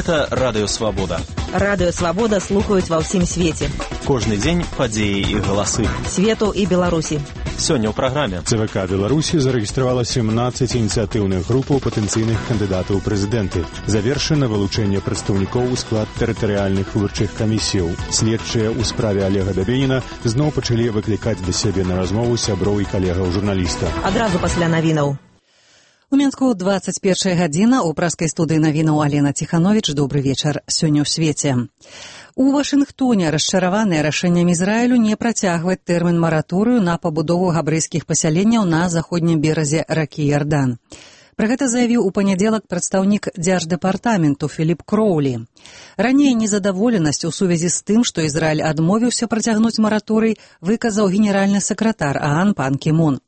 Гэта Радыё Свабода. Радыё Свабода слухаюць ва ўсім свеце. Кожны дзень падзеі і галасы. Свету і Беларусі. Сёння ў праграме. ЦВК Беларусі зарэгістравала 17 ініцыятыўных групаў патэнцыйных кандыдатаў у прэзідэнты. Завершана вылучэнне прадстаўнікоў у склад тэрытарыяльных выбарчых камісіяў. Следчыя ў справе Олега Дабеніна зноў пачалі выклікаць да сябе на размову сяброў і калегаў журналіста. Адразу пасля навінаў. У Мінску 21 гадзіна, у праскай студыі навінаў Алена Ціхановіч. Добры вечар. Сёння ў свеце. У Вашынгтоне расчараваныя рашэннем Ізраілю не працягваць тэрмін мараторыю на пабудову габрэйскіх пасяленняў на заходнім беразе ракі Ярдан. Пра гэта заявіў у панядзелак прадстаўнік дзярждэпартаменту Філіп Кроулі. Раней незадаволенасць у сувязі з тым, што Ізраіль адмовіўся працягнуць мараторый, выказаў генеральны сакратар ААН пан Кі Мун.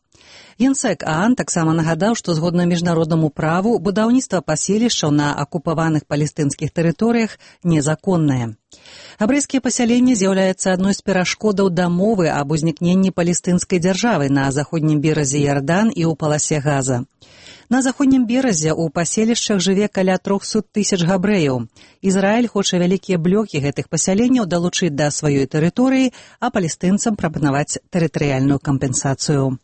Генсек ААН таксама нагадаў, што згодна міжнароднаму праву будаўніцтва паселішчаў на акупаваных палестынскіх тэрыторыях незаконнае. Габрэйскія пасяленні з'яўляецца адной з перашкодаў дамовы аб узнікненні палестынскай дзяржавы на заходнім беразе Ярдан і ў паласе Газа. На заходнім беразе ў паселішчах жыве каля 300 тысяч габрэяў. Ізраіль хоча вялікія блокі гэтых пасяленняў далучыць да сваёй тэрыторыі, а палестынцам прапанаваць тэрытарыяльную кампенсацыю.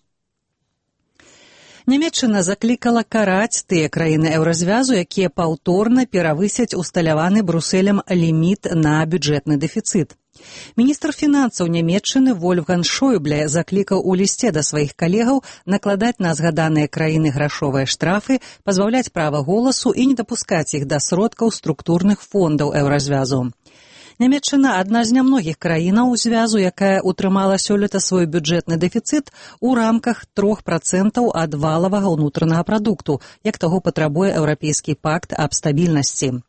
Нямецчына заклікала караць тыя краіны еўразвязу, якія паўторна перавысяць усталяваны Брусэлем ліміт на бюджэтны дэфіцыт. Міністр фінансаў Нямецчыны Вольфган Шойбле заклікаў у лісце да сваіх калегаў накладаць на згаданыя краіны грашовыя штрафы, пазбаўляць права голасу і не дапускаць іх да сродкаў структурных фондаў еўразвязу. Нямецчына адна з нямногіх краінаў звязу, якая утрымала сёлета свой бюджэтны дэфіцыт у рамках 3% ад валавага ўнутранага прадукту, як таго патрабуе Еўрапейскі пакт аб стабільнасці.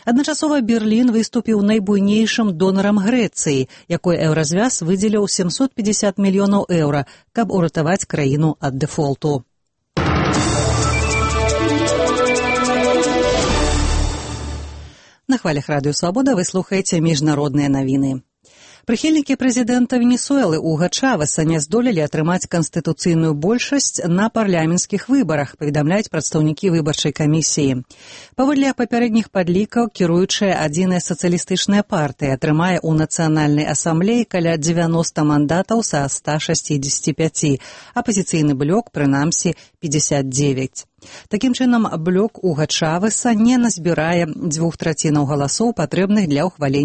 Адначасова Берлін выступіў найбуйнейшым донарам Грэцыі, якой еўразвяз выдзеліў 750 мільёнаў еўра, каб уратаваць краіну ад дэфолту. На хвалях Радыё Свабода вы слухаеце міжнародныя навіны. Прыхільнікі прэзідэнта Венесуэлы Уга Чавеса не здолелі атрымаць канстытуцыйную большасць на парламенцкіх выбарах, паведамляюць прадстаўнікі выбарчай камісіі. Паводле папярэдніх падлікаў, кіруючая адзіная сацыялістычная партыя атрымае ў нацыянальнай асамблеі каля 90 мандатаў са 165, апазіцыйны блок, прынамсі, 59. Такім чынам, блок Уга Чавеса не назбірае 2/3 галасоў, патрэбных для ўхвалення